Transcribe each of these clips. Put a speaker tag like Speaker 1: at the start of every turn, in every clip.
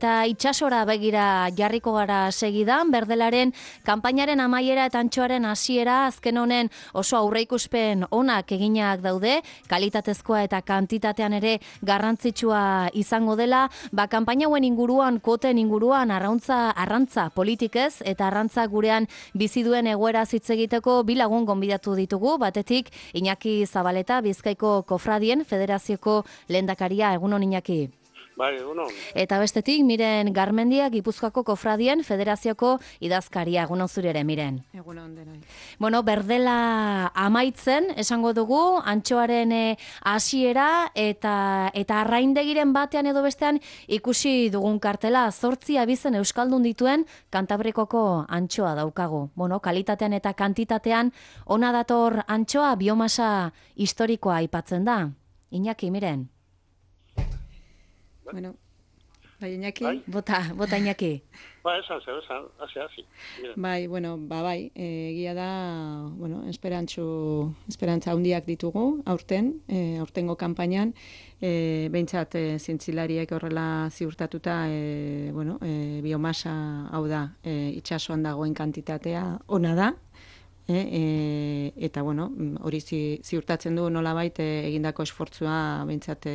Speaker 1: Eta itsasora begira jarriko gara segidan, berdelaren kanpainaren amaiera eta antxoaren hasiera azken honen oso aurreikuspen onak eginak daude, kalitatezkoa eta kantitatean ere garrantzitsua izango dela, kanpaina hauen inguruan, koten inguruan, arrantza politikez eta arrantza gurean bizi duen egoera hitz egiteko bi lagun gonbidatu ditugu, batetik Iñaki Zabaleta, Bizkaiko Kofradien Federazioko lehendakaria, egunon Iñaki.
Speaker 2: Bai, egunon.
Speaker 1: Eta bestetik, Miren Garmendia, Gipuzkoako Kofradien Federazioko idazkaria, egunon zure ere, Miren.
Speaker 3: Egunon denoi.
Speaker 1: Bueno, berdela amaitzen, esango dugu, antxoaren hasiera eta arraindegiren batean edo bestean ikusi dugun kartela, 8 abizen euskaldun dituen Kantabrikoko antxoa daukagu. Bueno, kalitatean eta kantitatean, ona dator antxoa biomasa historikoa aipatzen da. Iñaki, Miren.
Speaker 3: Bueno, bai, Iñaki?
Speaker 2: Bai.
Speaker 1: Bota Iñaki.
Speaker 2: Esan, hasi.
Speaker 3: Bai, bueno, bai, egia da, bueno, esperantza handiak ditugu, aurtengo kanpainan, behintzat zientzilariek horrela ziurtatuta, biomasa, hau da, itsasoan dagoen kantitatea ona da, eta bueno, hori ziurtatzen du nolabait egindako esfortzua behintzat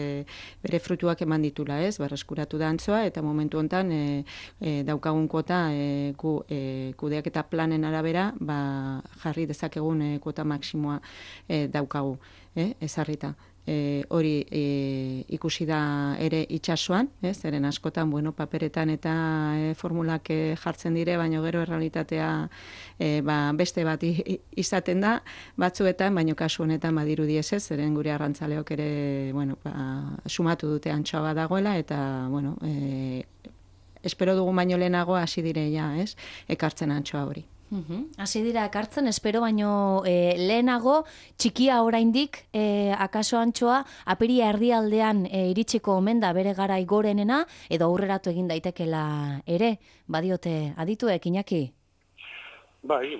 Speaker 3: bere fruituak eman ditula, ez? Berreskuratu da antzoa eta momentu hontan daukagun kuota kudeaketa planen arabera jarri dezakegun kuota maksimoa daukagu, ezarrita. Hori ikusi da ere itsasoan, zeren askotan paperetan eta formulak jartzen dire, baina gero errealitatea beste bat izaten da, batzuetan, baina kasu honetan badirudi ez, zeren gure arrantzaleok ere sumatu dute antxoa dagoela, eta espero dugu baino lehenago hasi direia, ekartzen antxoa hori.
Speaker 1: Hasi dira ekartzen, espero baino lehenago, txikia oraindik, akaso antxoa, apiria erdialdean iritsiko omen da bere garai gorenena, edo aurreratu egin daitekela ere, badiote adituek, Iñaki?
Speaker 2: Bai,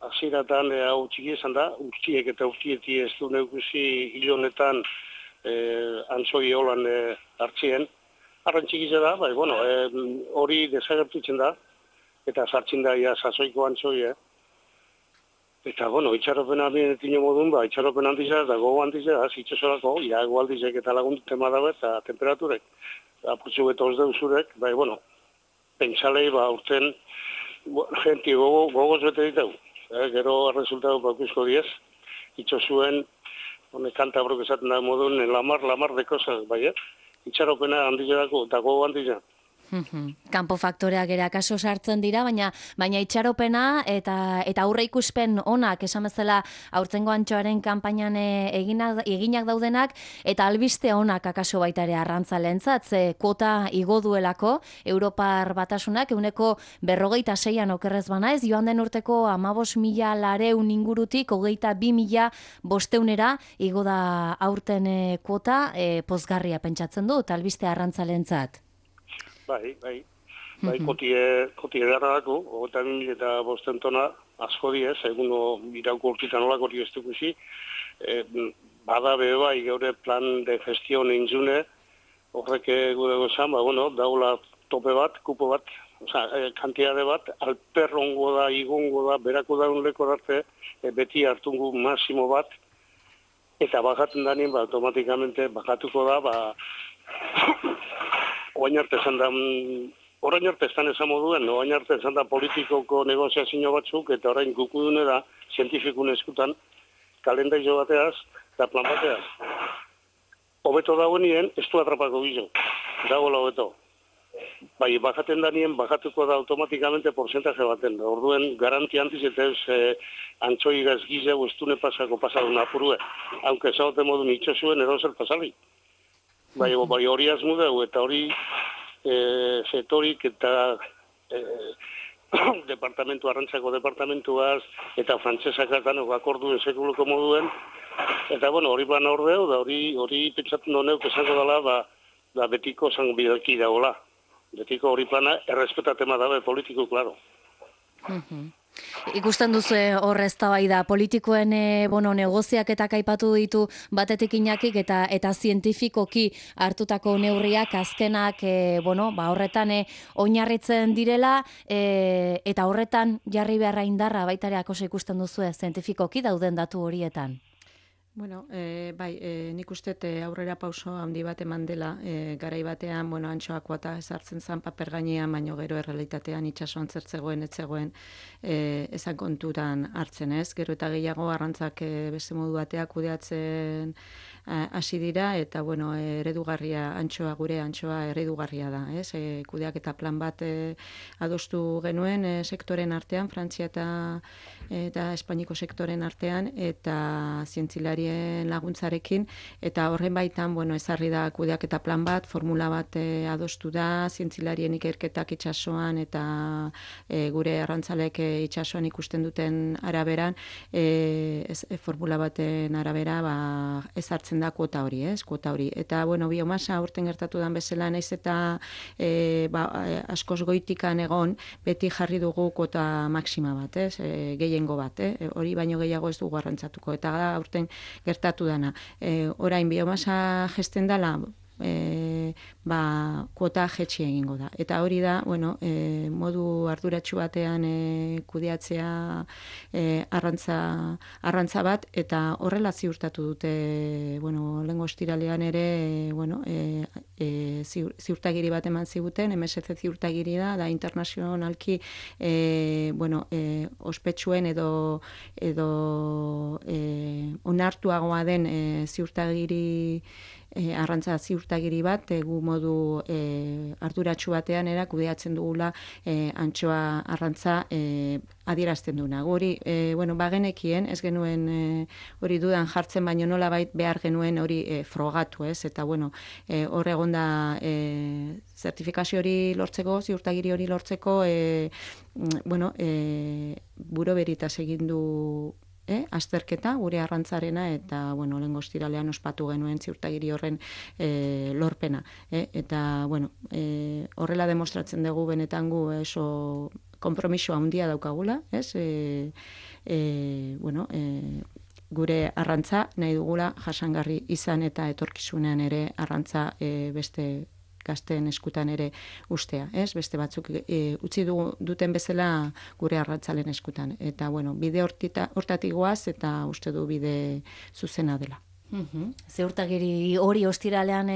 Speaker 2: hasieratan hau txiki esan da, urtiek eta urtieti ez du neukusi hilonetan antzoi holan hartzien. Arran txikiza da, bai, hori desagertutzen da, eta sartzen da sasoiko antzoi, Eta, itxaropen abienetin modun, itxaropen handiza eta gogo handiza, itxasorako, iago aldizek eta lagundutema dabe eta temperaturek. Apurtzu beto ez deuzurek, pentsalei, urten, genti gogoz bete ditau. Gero resultatu bakusko diez, itxosuen, Kantabrok esaten da modun, lamar de cosas, itxaropena handizerako eta gogo handiza.
Speaker 1: Kanpo faktoreak ere akaso sartzen dira, baina itxaropena eta aurre ikuspen onak, esan bezala aurtengo antxoaren kanpainan eginak daudenak, eta albiste onak akaso baita ere arrantzaleentzat, ze kuota igo duelako, Europar Batasunak 46an okerrez banaiz, joan den urteko 15.400 ingurutik 22.500 igo da aurten kuota, pozgarria pentsatzen du, eta albiste arrantzaleentzat.
Speaker 2: Bai, kotie darra dako, 22.500 tona asko diez, eguno irauko urtitan olak hori ez dukusi, bada bai geure plan de gestión eintzune, horrek gure gozan, daula tope bat, kupo bat, kantiade bat, alperrongo da, igongo da, berako daunleko darte, beti hartungu masimo bat, eta bajaten danien, automatikamente bajatuko da, orain arte esan esan moduen, orain arte esan da politikoko negoziazio batzuk, eta orain gukudune da, zientifikun eskutan, kalendaizo bateaz, eta plan bateaz. Hobeto dagoenien, ez du atrapako gizo, dagoela hobeto. Bajaten danien, bajatuko da automatikamente porcentaje baten. Orduen, garanti antiz eta ez antxoi gazgizeu estune pasako pasadun apurue. Aunque esagote modun itxosuen erozer pasali. Hori azmudeu, eta hori setorik eta arrantzako departamentuaz, eta frantzesak atanok akorduen sekuloko moduen, eta hori plan ordeu, da hori pentsatzen doneuk esango dela, betiko zango bidalki dagoela. Betiko hori plana errespetatema dabe politiko, klaro.
Speaker 1: Ikusten duzu hor eztabaida politikoen negoziaketak aipatu ditu batetik Iñakik eta zientifikoki hartutako neurriak azkenak horretan oinarritzen direla eta horretan jarri beharra indarra baita ere oso ikusten duzu zientifikoki dauden datu horietan.
Speaker 3: Bueno, nik uste aurrera pauso handi bat eman dela, garai batean, antxoa kuota ezartzen zan paper gainean, baino gero errealitatean itsasoan zertzegoen, etzegoen, ezan konturan hartzen ez. Gero eta gehiago arrantzak beste modu bateak kudeatzen hasi dira, eta eredugarria gure antxoa eredugarria da, ez? Kudeak eta plan bat adostu genuen sektoren artean, Frantzia eta Espainiko sektoren artean, eta zientzilarien laguntzarekin, eta horren baitan, ezarri da kudeak eta plan bat, formula bat adostu da, zientzilarien ikerketak itsasoan eta gure arrantzalek itsasoan ikusten duten araberan, formula baten arabera ezartzen da kuota hori, kuota hori. Eta, biomasa urten gertatu dan bezala, naiz eta askoz goitikan egon, beti jarri dugu kuota maksima bat, gehiengo bat, hori baino gehiago ez dugu arrantzatuko. Eta urten gertatu dana. Orain biomasa gesten dela, kuota jetxi egingo da. Eta hori da, modu arduratsu batean kudeatzea arrantza bat, eta horrela ziurtatu dute, lehengo ostiralean ere, ziurtagiri bat eman ziguten, MSC ziurtagiri da internazionalki, ospetsuen edo onartuagoa den ziurtagiri arrantza ziurtagiri bat, gu modu arduratsu batean kudeatzen dugula antxoa arrantza adierazten duna. Guri, bagenekien, ez genuen hori dudan jartzen, baino nolabait behar genuen hori frogatu, ez? Eta, hor egonda zertifikazio hori lortzeko, ziurtagiri hori lortzeko, Buro Veritas egin du azterketa gure arrantzarena, eta lehengo ostiralean ospatu genuen ziurtagiri horren lorpena. Eta horrela demostratzen dugu benetan gu oso konpromiso handia daukagula, gure arrantza nahi dugula jasangarri izan, eta etorkizunean ere arrantza beste gazteen eskutan ere ustea, beste batzuk utzi duten bezala gure arrantzalen eskutan. Eta, bide hortatik goaz, eta uste du bide zuzena dela.
Speaker 1: Ziurtagiri hori ostiralean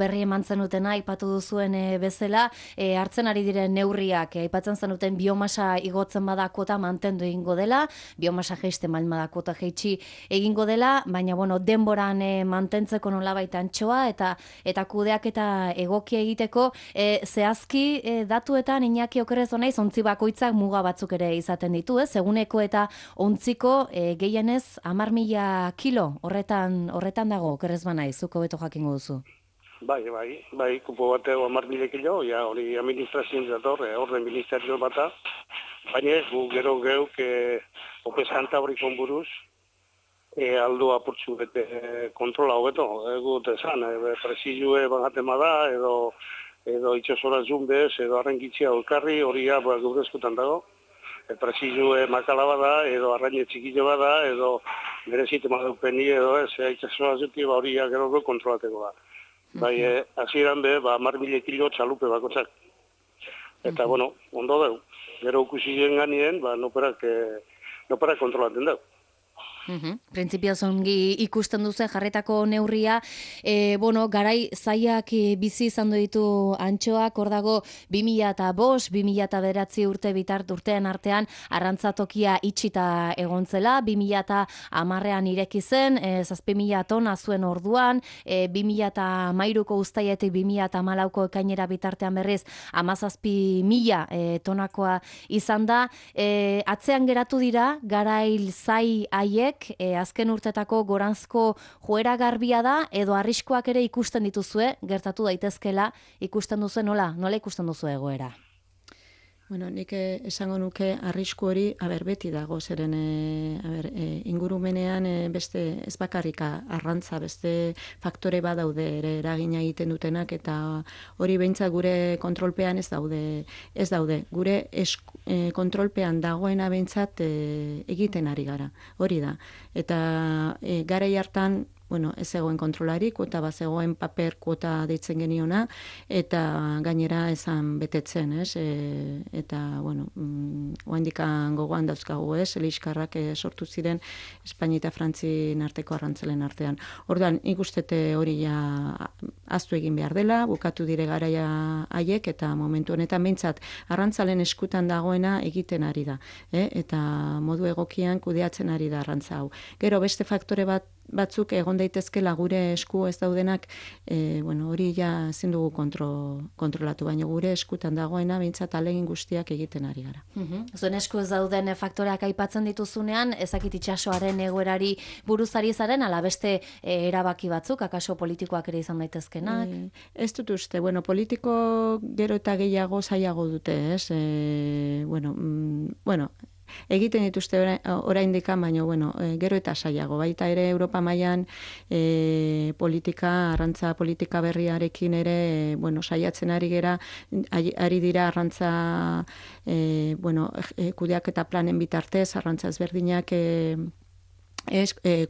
Speaker 1: berri eman zenutena aipatu duzuen bezala, hartzen ari diren neurriak aipatzen zenuten biomasa igotzen bada kota mantendu egingo dela, biomasa jaisten baldin bada kota jaitsi egingo dela, baina denboran mantentzeko nolabait antxoa eta kudeak eta egokia egiteko zehazki datuetan Iñaki okerrez naiz ontzi bakoitzak muga batzuk ere izaten ditu, eguneko eta ontziko gehienez 10.000 kilo horretan dago, okerrez banaiz, zuko beto jakingo duzu.
Speaker 2: Bai, kupo bateo 10.000 kilo, hori administrazioen zator, orden ministerio bata, baina gu gero geuk opesanta hori konburuz, aldo apurtzu bete kontrola hobeto, gut esan, presizue bagaten bada, edo itxasora zumbez, edo arrenkitzia olkarri, hori gure eskutan dago. Presizue makala bada, edo arraine txikile bada, edo berezite madupeni, edo itxasora zuti, hori gero kontrolateko da. Bai, hasieran 10.000 kilo txalupe bakotzak. Eta, ondo deu. Gero ukusien ganien, noperak kontrolaten deu.
Speaker 1: Printzipioz ongi ikusten duzu jarretako neurria, garai zaiak bizi izan ditu antxoak, hor dago 2005, 2009 urte urtean artean arrantzatokia itxita egontzela, 2010an ireki zen, 7.000 tona zuen orduan, 2013ko uztailetik 2014ko ekainera bitartean berriz 17.000 tonakoa izan da. Atzean geratu dira garail zai haiek, azken urtetako goranzko joera garbia da, edo arriskoak ere ikusten dituzue, gertatu daitezkela, ikusten duzu nola ikusten duzu egoera?
Speaker 3: Bueno, nik esango nuke arrisku hori, beti dago, zeren ingurumenean beste ez bakarrika arrantza, beste faktore badaude ere eragina egiten dutenak, eta hori behintzat gure kontrolpean ez daude. Gure kontrolpean dagoena behintzat egiten ari gara, hori da. Eta garai hartan, ez zegoen kontrolari, kuota bat zegoen paper kuota deitzen geniona, eta gainera esan betetzen, ez? Eta, oandikan gogoan dauzkagu, ez? Eliskarrak sortu ziren Espainia eta Frantzien arteko arrantzalen artean. Orduan, nik ustete hori aztu egin behar dela, bukatu dire garaia haiek, eta momentu honetan behintzat arrantzalen eskutan dagoena egiten ari da, eta modu egokian kudeatzen ari da arrantza hau. Gero, beste faktore batzuk egon daitezkela gure esku ez daudenak, hori ja ezin dugu kontrolatu, baina gure eskutan dagoena behintzat alegin guztiak egiten ari gara.
Speaker 1: Zuen esku ez dauden faktoreak aipatzen dituzunean, ezakit itsasoaren egoerari buruzari zaren, ala beste erabaki batzuk, akaso politikoak ere izan daitezkenak?
Speaker 3: Ez dut uste, politiko gero eta gehiago zailago dute, ez? Egiten dituzte oraindikan, baina gero eta saiago. Baita ere Europa mailan arrantza politika berriarekin ere saiatzen ari gera, ari dira arrantza kudeaketa planen bitartez, arrantza ezberdinak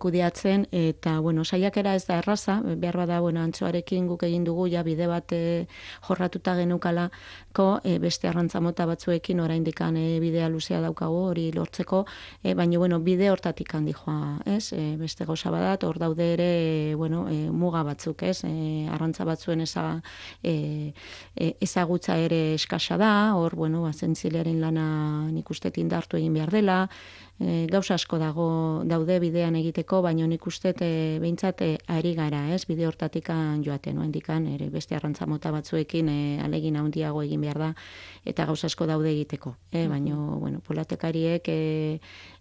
Speaker 3: kudeatzen, eta saiakera ez da erraza, behar bada antxoarekin guk egin dugu ja bide bat jorratuta genukalako, beste arrantza mota batzuekin oraindikan bidea luzea daukagu hori lortzeko, baina bide hortatik handi joa, ez? Beste gauza badat, hor daude ere muga batzuk, ez? Arrantza batzuen ezagutza ere eskasa da, hor zentzilearen lana nik uste indartu egin behar dela, gauza asko daude bidean egiteko, baina nik uste behintzat ari gara, ez, bide hortatikan joaten, indikan, ere beste arrantza mota batzuekin alegin handiago egin behar da, eta gauza asko daude egiteko. Baina, polatekariek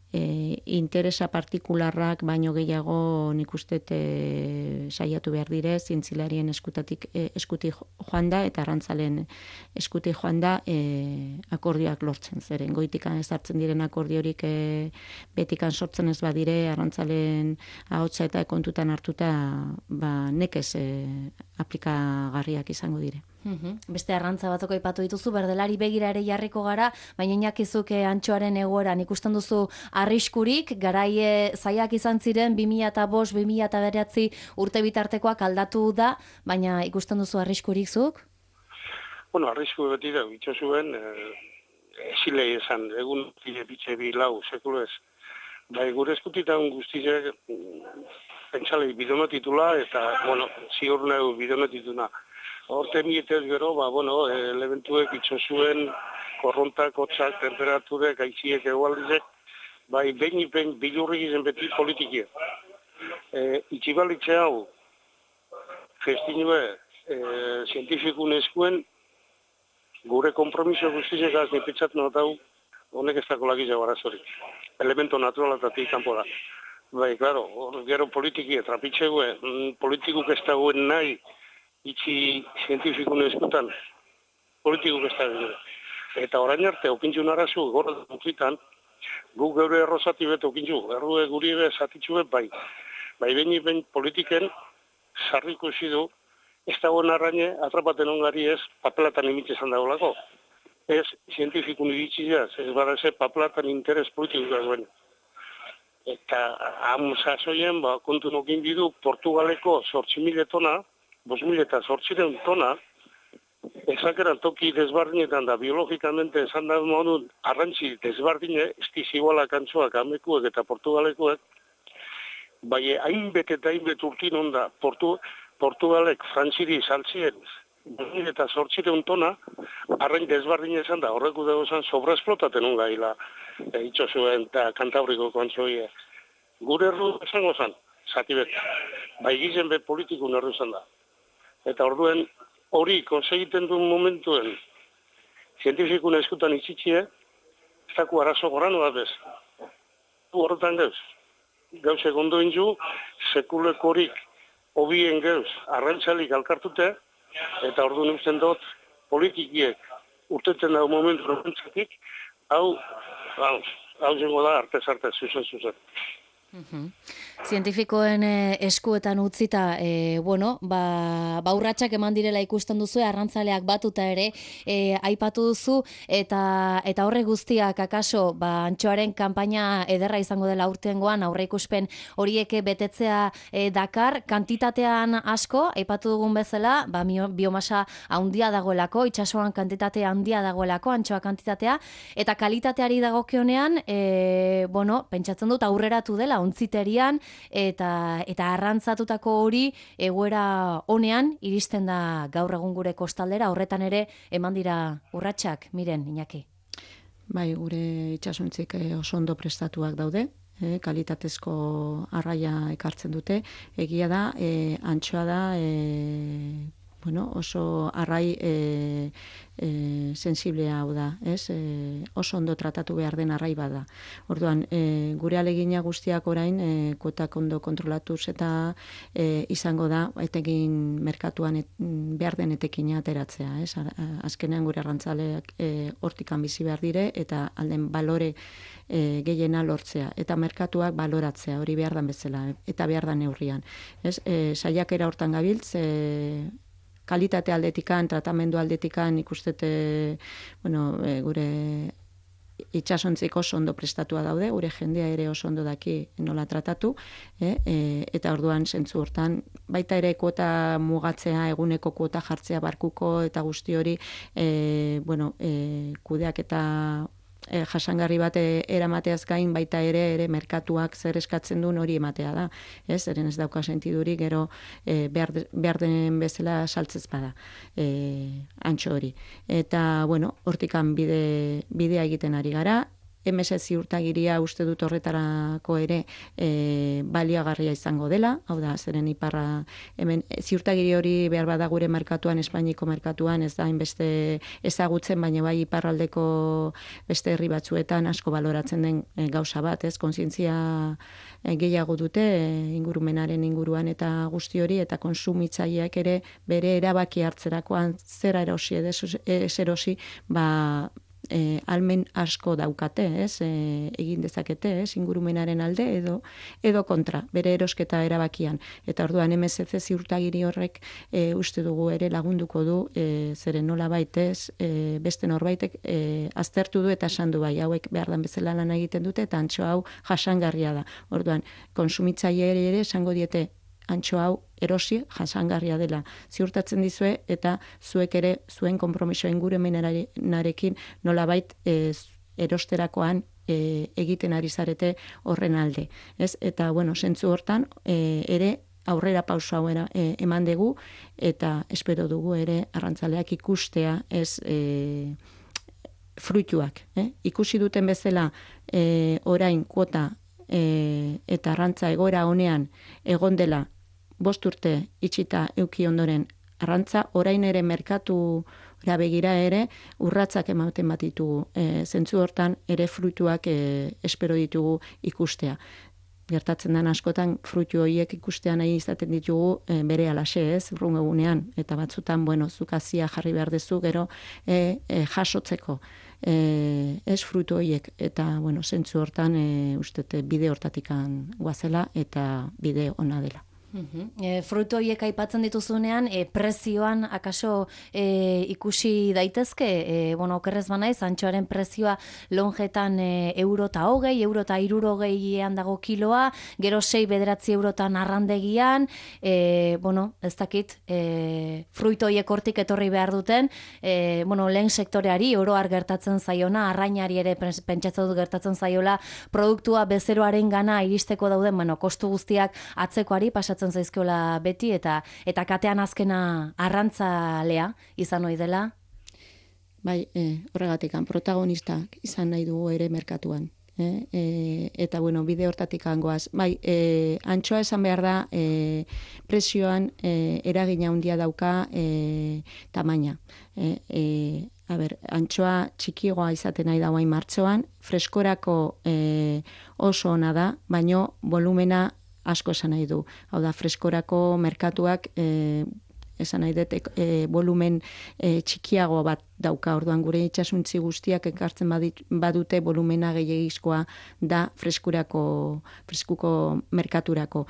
Speaker 3: interesa partikularrak baino gehiago nik uste saiatu behar dire, zintzilarien eskutik joan da, eta arrantzalen eskutik joan da akordioak lortzen zeren. Goitikan ez hartzen diren akordiorik betikan sortzen ez badire, arrantzalen ahotsa eta kontutan hartuta nekez aplikagarriak izango dire.
Speaker 1: Beste arrantza batzuk aipatu dituzu, berdelari begira ere jarriko gara, baina inakizuk antxoaren egoeran ikusten duzu arriskurik, garai zaiak izan ziren 2005-2009 urte bitartekoak aldatu da, baina ikusten duzu arriskurik zuk?
Speaker 2: Arrisku beti da, bitxosuen, ezilei esan, egun bitxe bi lau, sekulo ez. Gure eskutitan guztizek, pentsalei bidonatitula, eta, ziur nahu bidonatituna. Horten mietez gero, elementuek itxosuen, korrontak, hotzak, temperaturek, aiziek, egualdizek, behin bilurrik izan beti politikia. Itxibalitze hau, festinue, zientifikun eskuen, gure kompromiso guztizek aznipitzat notau, honek ez dako lagizia barazorik. Elemento naturalatatik kanpo da. Claro, gero politikia, trapitzegue, politikuk ez dagoen nahi, itxi zientifikun eskutan, politikuk ez dagoen. Eta orain arte, okintxun arazu, gorra dutzitan, guk geure errozati bet okintxu, errue guri ebe zatitxu bet bai. Behin politiken, sarriko du, ez dagoen arraine, atrapaten ongari ez, papelatan imitzezan dagoelako. Ez zientifikun iritziaz, ez badaze papelatan interes politikuk duen. Eta sasoien, kontu nokin bidu, Portugaleko 8.000 tona, 5.800 tona, ezakeran toki desbardinetan da, biologikamente esan da modun, arrantzi desbardine, estizigualak antzoak, amekuek eta Portugalekuek, bai hainbet eta hainbet urtin onda, Portugalek frantziri saltzien, 5.800 tona, arrain desbardine esan da, horreku dago esan sobreesplotaten ungaila, itxosuen eta Kantabriko kontzoie. Gure erru esango zan, zatibet, gizen bet politikun erru zan da. Eta orduen, hori konsegiten duen momentuen, zientifikun eskutan itxitxie, ez daku arazo gorano bat bez. Horretan geuz, gauzek ondo inzu, sekulekorik hobien geuz, arrantzalik alkartute, eta orduan usten dut, politikiek urteten dago momentu horrentzatik, hau jengo da artez, zuzen.
Speaker 1: Zientifikoen eskuetan utzita, urratsak eman direla ikusten duzu, arrantzaleak batuta ere aipatu duzu, eta horre guztiak akaso, antxoaren kanpaina ederra izango dela urtengoan, aurreikuspen horiek betetzea dakar, kantitatean asko, aipatu dugun bezala, biomasa handia dagoelako, itsasoan kantitate handia dagoelako, antxoa kantitatea, eta kalitateari dagokionean, pentsatzen dut aurreratu dela, ontziterian, eta arrantzatutako hori egoera honean iristen da gaur egun gure kostaldera, horretan ere eman dira urratsak, Miren, Iñaki.
Speaker 3: Bai, gure itsasontzik oso ondo prestatuak daude, kalitatezko arraia ekartzen dute, egia da, antxoa da, oso arrai sensiblea hau da, oso ondo tratatu behar den arrai bada. Orduan, gure alegina guztiak orain, kuotak ondo kontrolatuz eta izango da, etekin merkatuan behar den etekina ateratzea. Azkenean gure arrantzaleak hortikan bizi behar dire, eta alden balore gehiena lortzea, eta merkatuak baloratzea, hori behar dan bezala, eta behar dan neurrian. Saiakera hortan gabiltz, kalitate aldetikan, tratamendu aldetikan ikustete, gure itsasontzik oso ondo prestatua daude, gure jendea ere oso ondo daki nola tratatu, eta orduan zentzu hortan, baita ere kuota mugatzea, eguneko kuota jartzea barkuko, eta guzti hori, kudeak eta jasangarri bat eramateaz gain baita ere merkatuak zer eskatzen duen hori ematea da. Zeren ez dauka sentidurik gero behar den bezala saltzez bada antxo hori. Eta, hortikan bidea egiten ari gara. MS ziurtagiria uste dut horretarako ere baliagarria izango dela, hau da, zeren iparra, hemen ziurtagiri hori behar bada gure merkatuan, Espainiko merkatuan, ez da hainbeste ezagutzen, baina bai iparraldeko beste herri batzuetan asko baloratzen den gauza bat, kontzientzia gehiago dute ingurumenaren inguruan eta guzti hori, eta konsumitzaileak ere bere erabaki hartzerakoan zera erosi ez erosi, almen asko daukate, egin dezakete, ingurumenaren alde edo kontra, bere erosketa erabakian. Eta orduan MSC ziurtagiri horrek uste dugu ere lagunduko du, zeren nola baitez, beste norbaitek aztertu du eta esan du bai, hauek behar dan bezala lan egiten dute, eta antxo hau jasangarria da. Orduan, konsumitzaile ere esango diete, antxo hau erosi jasangarria dela ziurtatzen dizue, eta zuek ere zuen konpromiso ingurumenarekin nolabait erosterakoan egiten ari zarete horren alde. Eta, zentzu hortan ere aurrera pauso hau eman dugu, eta espero dugu ere arrantzaleak ikustea fruituak. Ikusi duten bezala orain kuota eta arrantza egoera honean egon dela 5 urte itxita euki ondoren arrantza, orain ere merkatura begira ere urratsak ematen bat ditugu. Zentzu hortan ere fruituak espero ditugu ikustea. Gertatzen den askotan fruitu horiek ikustean nahi izaten ditugu bere alaxe, urrungo egunean, eta batzutan, zukazia jarri behar dezu, gero jasotzeko fruitu horiek, eta zentzu hortan ustete bide hortatikan guazela eta bide ona dela.
Speaker 1: Fruitu horiek aipatzen dituzunean, prezioan akaso ikusi daitezke, okerrez banaiz, antxoaren prezioa lonjetan €120, €160 dago kiloa, gero 6-9 eurotan arrandegian, ez dakit, fruitu horiek hortik etorri behar duten, lehen sektoreari oroar gertatzen zaiona, arrainari ere pentsatzen dut gertatzen zaiola, produktua bezeroaren gana iristeko dauden, kostu guztiak atzekoari pasatzen zaizkiola beti, eta katean azkena arrantzalea izan ohi dela.
Speaker 3: Bai, horregatik, protagonistak izan nahi dugu ere merkatuan. Eta, bide hortatik goaz. Bai, antxoa esan behar da, presioan eragina handia dauka tamaina. Antxoa txikigoa izaten nahi da guain martxoan, freskorako oso ona da, baino volumena asko esan nahi du. Hau da, freskorako merkatuak esan nahi dut, volumen txikiago bat dauka, orduan gure itxasuntzi guztiak ekartzen badute volumena gehiagizkoa da freskuko merkaturako.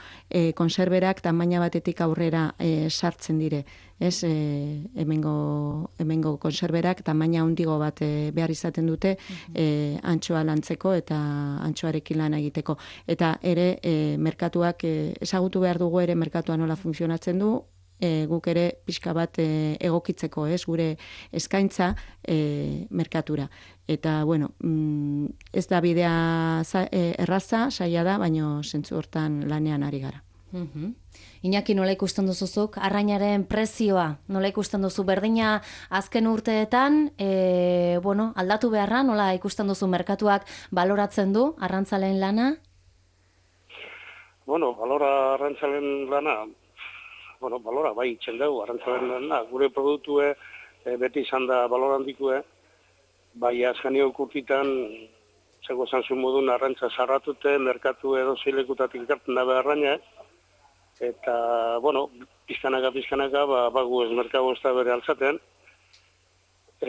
Speaker 3: Konserberak tamaina batetik aurrera sartzen dire, ez, hemengo konserberak tamaina handigo bat behar izaten dute antxoa lantzeko eta antxoarekin lan egiteko. Eta ere merkatuak ezagutu behar dugu ere merkatua nola funtzionatzen du, guk ere pixka bat egokitzeko, ez, gure eskaintza merkatura. Eta, bueno, ez da bidea erraza, saia da, baina zentzu hortan lanean ari gara.
Speaker 1: Iñaki, nola ikusten duzuzuk, arrainaren prezioa, nola ikusten duzu berdina azken urteetan, aldatu beharra, nola ikusten duzu merkatuak baloratzen du arrantzaleen lana?
Speaker 2: Balora arrantzalen lana, balora bai itxen dugu arrantzalen lana, gure produktue beti izan da balora handikue, bai azkanio kurtitan, zego zantzun modun arrantza sarratute, merkatu edo zeilekutatik ikartzen da beharraina, eta, pizkanaka, bagu ez merkago ez da bere altzaten,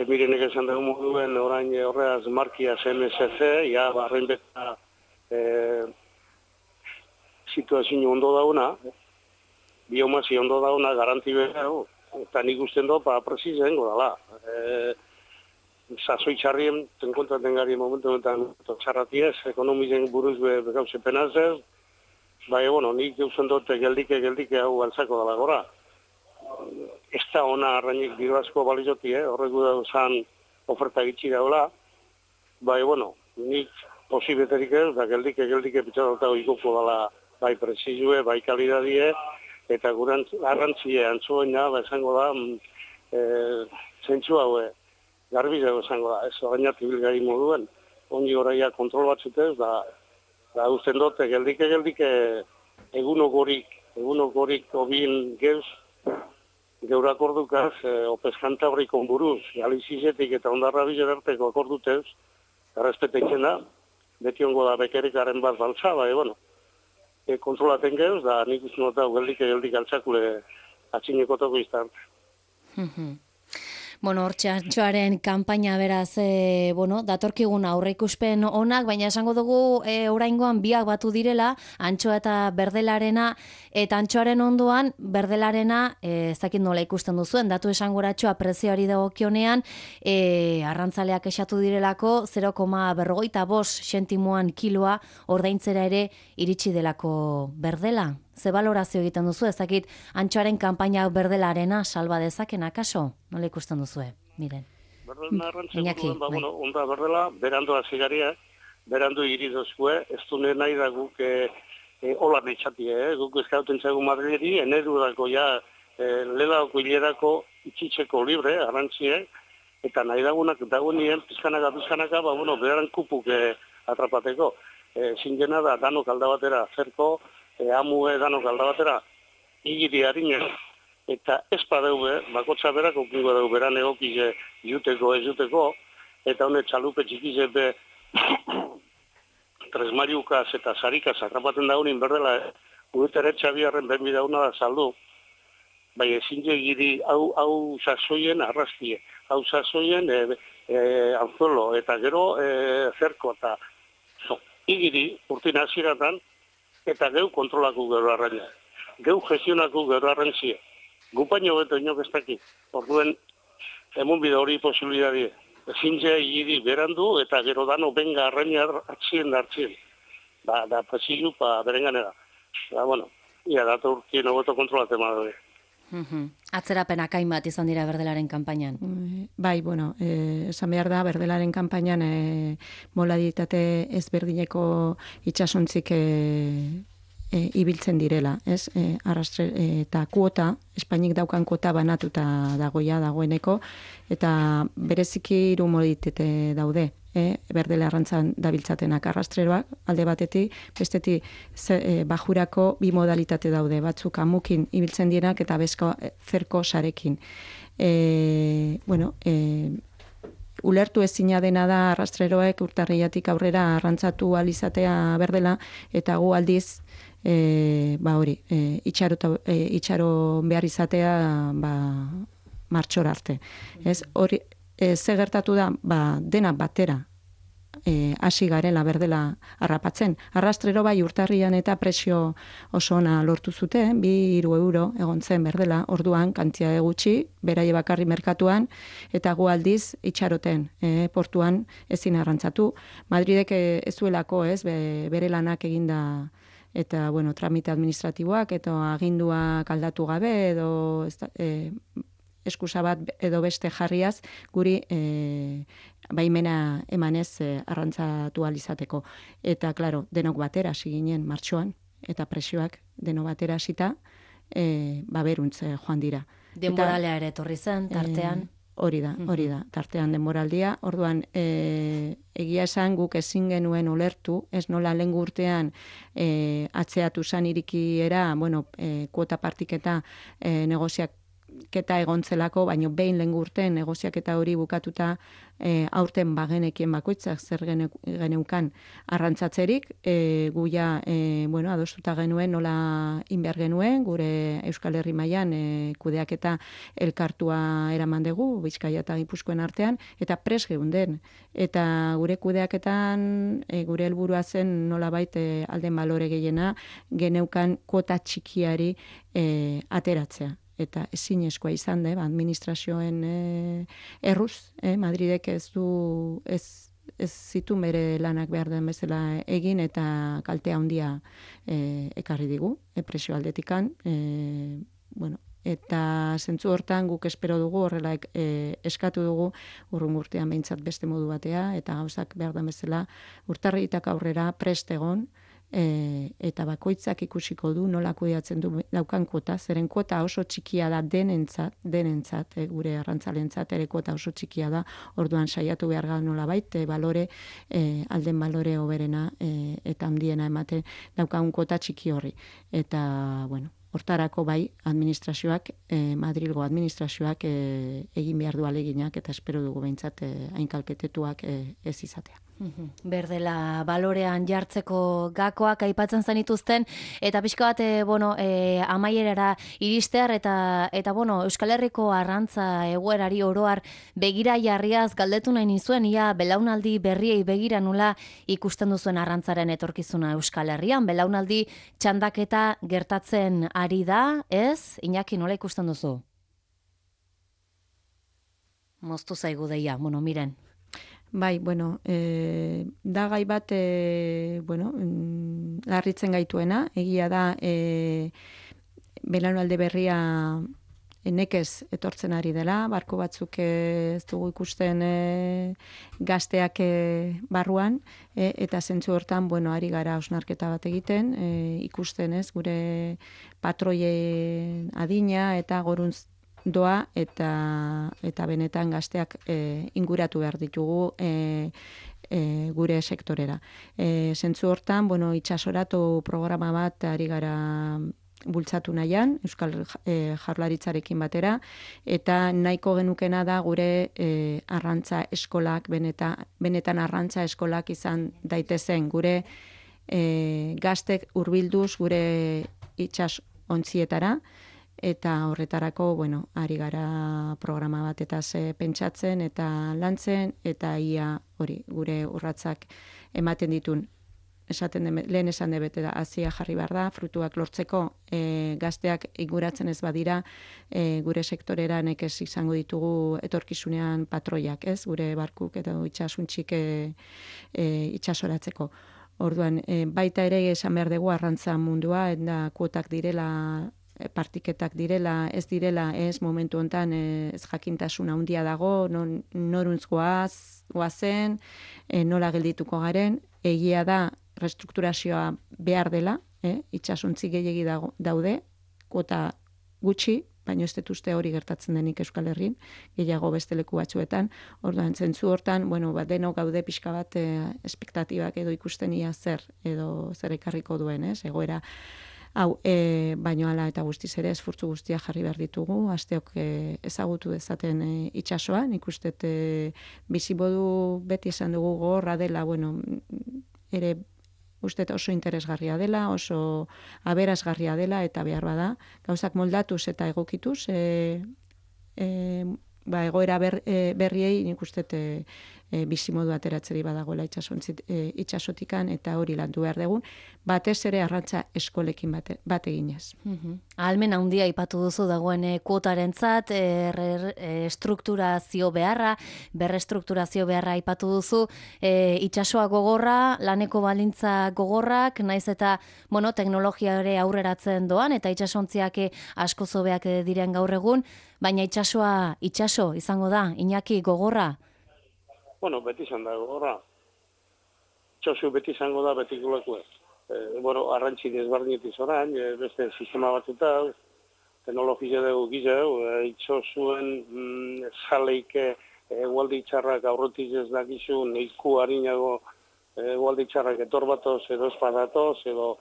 Speaker 2: mirenek esan dugu moduen orain horreaz markia MSC, ja, barrein beta situazio ondo dauna, biomasi ondo dauna, garanti behar, eta nik usten do, prezisen godala. Sasoi txarrien, tenkontraten gari momentu enten txarratiez, ekonomizen buruz begauze penazez, nik usten dut geldike hau altzako dala gora. Ez da ona arrainik diru asko balizoti, horregu dauzan oferta gitsi daula, nik posibeterik ez, da geldike pitzadotago ikoko dala bai prezizue, bai kalidadie, eta gure arrantzie antzuena, esango da, zentsu haue, garbizago esango da, ez orainat ibilgari moduen, ongi oraia kontrol batzutez, da usten dute, geldike egunokorik obin geuz, geur akordukaz, opeskantabrik onburuz, galizizetik eta ondarra bizerarteko akordutez, errespetetzen da, beti ongo da bekerikaren bat baltza, kontrolaten geuz, da nik uste nota geldik altzakule atxinekotako iztart.
Speaker 1: Hortxe antxoaren kanpaina beraz, datorkigun aurreikuspen onak, baina esango dugu oraingoan biak batu direla, antxoa eta berdelarena, eta antxoaren ondoan berdelarena, ez dakit nola ikusten duzuen, datu esangoratxoa prezioari dagokionean, arrantzaleak esatu direlako 0,45 sentimoan kiloa ordaintzera ere iritsi delako berdela. Ze balorazio egiten duzu, ez dakit antxoaren kanpaina berdelarena salba dezaken akaso? Nola ikusten duzue? Miren.
Speaker 2: Iñaki, onda berdela, berandu azigaria, berandu iridozkue, ez dune nahi da guk hola netxatie, guk eskauten zaigu Madrileri, enerudako ja lelako hilerako itxitzeko libre, arrantzie, eta nahi dagoenien pizkanaka, beran kupuk atrapateko. Zingena da, danok aldabatera, zerko, amue danok aldabatera, igiri harinen, eta ez padeube, bakotza berak okingo dugu beran egokize juteko, ez juteko, eta honet txalupe txikize be tresmariukaz eta sarikaz atrapaten daunin berdela, guetere txabiarren benbi dauna da saldu, bai ezin egiri hau sasoien arrastie, hau sasoien anzuelo, eta gero zerko, eta igiri urtin hasieratan, eta geu kontrolako gero arraina. Geu gestionako gero arrantzie. Gupaino beto inok ez dakit. Orduen, emun bide hori posibilidadie. Ezintzea igiri berandu eta gero dano benga arraina hartzien. Da presilu berenganera. Ia datu urkien ogoto kontrolate madure.
Speaker 1: Atzerapenak hainbat izan dira berdelaren kanpainan.
Speaker 3: Bai, esan behar da, berdelaren kanpainan modalitate ezberdineko itxasontzik ibiltzen direla, ez? Arrastre eta kuota, Espainik daukan kuota banatuta dagoeneko, eta bereziki 3 modalitate daude. Berdele arrantzan dabiltzatenak arrastreroak, alde batetik, bestetik bajurako 2 modalitate daude, batzuk amukin ibiltzen dienak eta bezko zerko sarekin. Ulertu ezina dena da arrastreroek urtarriatik aurrera arrantzatu alizatea berdela, eta gu aldiz hori, itxaro behar izatea, martxora arte. Ez, hori, ze gertatu da, dena batera, hasi garela berdela harrapatzen. Arrastrero bai urtarrian eta presio oso ona lortu zuten, 2-3 euro egon zen berdela, orduan kantia gutxi, beraie bakarri merkatuan, eta gu aldiz itxaroten, portuan ezin arrantzatu. Madridek ez duelako, ez, bere lanak eginda, eta, bueno, tramite administratiboak, eta aginduak aldatu gabe, edo eskusa bat edo beste jarriaz, guri baimena emanez arrantzatu alizateko. Eta, klaro, denok batera hasi ginen martxoan, eta presioak denok batera hasita, beruntz joan dira.
Speaker 1: Denboralea ere etorri zen, tartean.
Speaker 3: Hori da, tartean denboraldia. Orduan, egia esan guk ezin genuen ulertu, ez nola lehen urtean atzeatu zan irikiera, kuota partiketa negoziak keta egontzelako, baino behin lehen urtean negoziaketa hori bukatuta aurten bagenekien bakoitzak zer geneukan arrantzatzerik, guia adostuta genuen nola inbehar genuen, gure Euskal Herri mailan kudeaketa elkartua eraman dugu, Bizkaia eta Gipuzkoen artean, eta pres geunden. Eta gure kudeaketan, gure helburua zen nolabait alden balore gehiena, geneukan kuota txikiari ateratzea. Eta ezinezkoa izan da, administrazioen erruz, Madridek ez zitu bere lanak behar den bezala egin, eta kaltea handia ekarri digu, presio aldetikan. Eta zentzu hortan guk espero dugu, horrela eskatu dugu, urrungo urtean behintzat beste modu batea, eta gauzak behar den bezala urtarriak aurrera prest egon, eta bakoitzak ikusiko du nola kudeatzen du daukan kuota, zeren kuota oso txikia da denentzat, gure arrantzalentzat ere kuota oso txikia da, orduan saiatu behar gara nolabait, alden balore hoberena eta handiena emate daukan kuota txiki horri. Eta, hortarako bai, administrazioak, Madrilgo administrazioak egin behar du aleginak, eta espero dugu behintzat hain kalpetetuak ez izatea.
Speaker 1: Berdela balorean jartzeko gakoak aipatzen zenituzten, eta pixka bat, amaierara iristear, eta Euskal Herriko arrantza egoerari oroar begira jarriaz galdetu nahi nizuen, ia belaunaldi berriei begira nula ikusten duzuen arrantzaren etorkizuna Euskal Herrian, belaunaldi txandaketa gertatzen ari da, ez? Iñaki, nola ikusten duzu? Moztu zaigu deia, miren.
Speaker 3: Bai, da gai bat, larritzen gaituena, egia da, belaunaldi berria nekez etortzen ari dela, barko batzuk ez dugu ikusten gazteak barruan, eta zentzu hortan, ari gara hausnarketa bat egiten, ikusten ez, gure patroien adina eta goruntz doa, eta benetan gazteak inguratu behar ditugu gure sektorera. Zentzu hortan, itxasoratu programa bat ari gara bultzatu nahian, Euskal Jaurlaritzarekin batera, eta nahiko genukena da gure arrantza eskolak, benetan arrantza eskolak izan daitezen, gure gaztek hurbilduz gure itsas ontzietara, eta horretarako, ari gara programa bat eta pentsatzen eta lantzen, eta ia hori gure urratsak ematen ditun. Lehen esan debete da, hazia jarri behar da, frutuak lortzeko gazteak inguratzen ez badira, gure sektorera nekez izango ditugu etorkizunean patroiak, ez? Gure barkuk eta itxasuntxik itxasoratzeko. Orduan, baita ere esan behar dugu arrantza mundua, eta kuotak direla, partiketak direla, ez direla, ez momentu hontan ez jakintasuna handia dago, noruntz goazen, nola geldituko garen, egia da restrukturazioa behar dela, itxasuntzi gehiegi daude, kuota gutxi, baina ez dut uste hori gertatzen denik Euskal Herrin, gehiago beste leku batzuetan, orduan zentzu hortan, denok gaude pixka bat espektatibak edo ikusten ia zer ekarriko duen, egoera. Hau, baino ala eta guztiz ere esfortzu guztia jarri behar ditugu, asteok ezagutu dezaten itsasoa, nik uste bizibodu beti esan dugu gogorra dela, ere uste oso interesgarria dela, oso aberasgarria dela, eta behar bada, gauzak moldatuz eta egokituz, egoera berriei nik uste bizimodu ateratzeri badagoela itxasotikan, eta hori landu behar dugun, batez ere arrantza eskolekin bat eginez.
Speaker 1: Ahalmen handia aipatu duzu dagoen kuotarentzat, estrukturazio beharra, berrestrukturazio beharra aipatu duzu, itsasoa gogorra, laneko balintza gogorrak, naiz eta teknologia ere aurreratzen doan, eta itsasontziak asko zobeak diren gaur egun, baina itsasoa itsaso izango da, Iñaki, gogorra?
Speaker 2: Beti izan da gogorra. Itsaso beti izango da betikulako ez. Arrantzi desberdinetiz orain, beste sistema batuta, teknologia dugu gizau, itsasuen zaleik egualdi txarrak aurretik ez dakizu, neiku harinago egualdi txarrak etor batoz, edo espadatoz, edo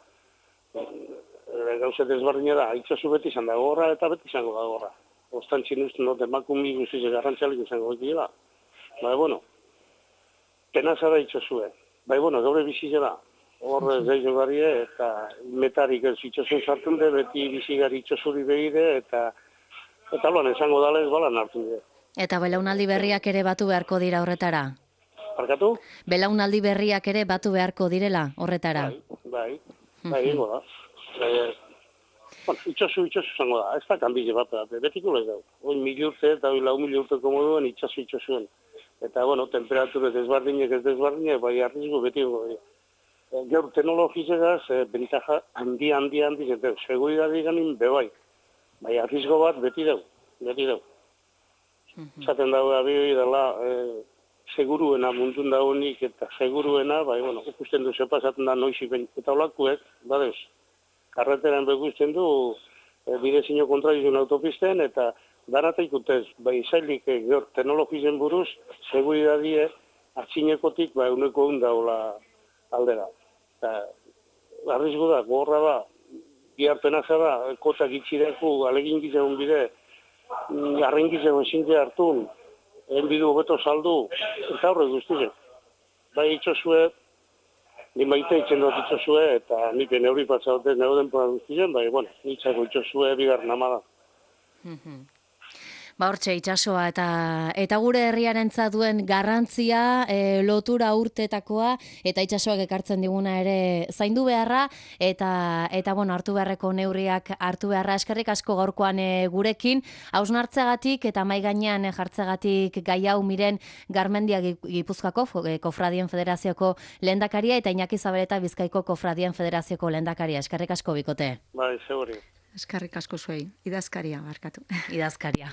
Speaker 2: gauze desberdinera, itsaso beti izan da gogorra eta beti izango da gogorra. Ostantzin usten dut emakumbi guztiz garrantzialik izango dira. Penaza da itsasue. Gaur bizitela. Hor zeizo garie eta metarik ez itsasun sartzen de, beti bizigari itsasuri behire eta loan esango dala ez balan hartu dira.
Speaker 1: Eta belaunaldi berriak ere batu beharko dira horretara?
Speaker 2: Barkatu?
Speaker 1: Belaunaldi berriak ere batu beharko direla horretara?
Speaker 2: Bai, ingo da. Itsasu izango da, ez da kanbile bat, betiko lez dago. Oin 1000 urte eta 4.000 urteko moduen itsasuen. Eta, temperatura desbardinek ez desbardinek, bai arrizgo betiko. Gaur teknologizegaz, bentaja handi, eta seguridadi ganin bebai. Bai arrizgo bat beti dago. Zaten dago abioi dela seguruena mundun dagoenik eta seguruena, ikusten du zepazaten da noizik eta olakuek, badeuz. Karreteran begusten du bidezino kontradizun autopisten eta darata ikutez, zailik gaur teknologizen buruz, seguridadie atxinekotik euneko daula aldera. Arrizgo da, gorra da, biharpenaza da, kotak itxireku, alegin gizeun bide, arren gizeun zinte hartun, enbidu hobeto saldu, eta horre guztizen. Itxosue, ni maite itzen dut itxosue, eta nipe neuri patzaute neuden pora guztizen, nitzako itxosue bigarren amada.
Speaker 1: Hortxe, itsasoa eta gure herriarentzat duen garrantzia, lotura urtetakoa, eta itsasoak ekartzen diguna ere zaindu beharra, eta hartu beharreko neurriak hartu beharra. Eskerrik asko gaurkoan gurekin, hausnartzegatik eta mai gainean jartzegatik gai hau Miren Garmendia Gipuzkoako Kofradien Federazioko lehendakaria, eta Iñaki Zabaleta Bizkaiko Kofradien Federazioko lehendakaria. Eskerrik asko bikote.
Speaker 2: Bai, seguri.
Speaker 3: Eskerrik asko zuei, idazkaria barkatu.
Speaker 1: Idazkaria.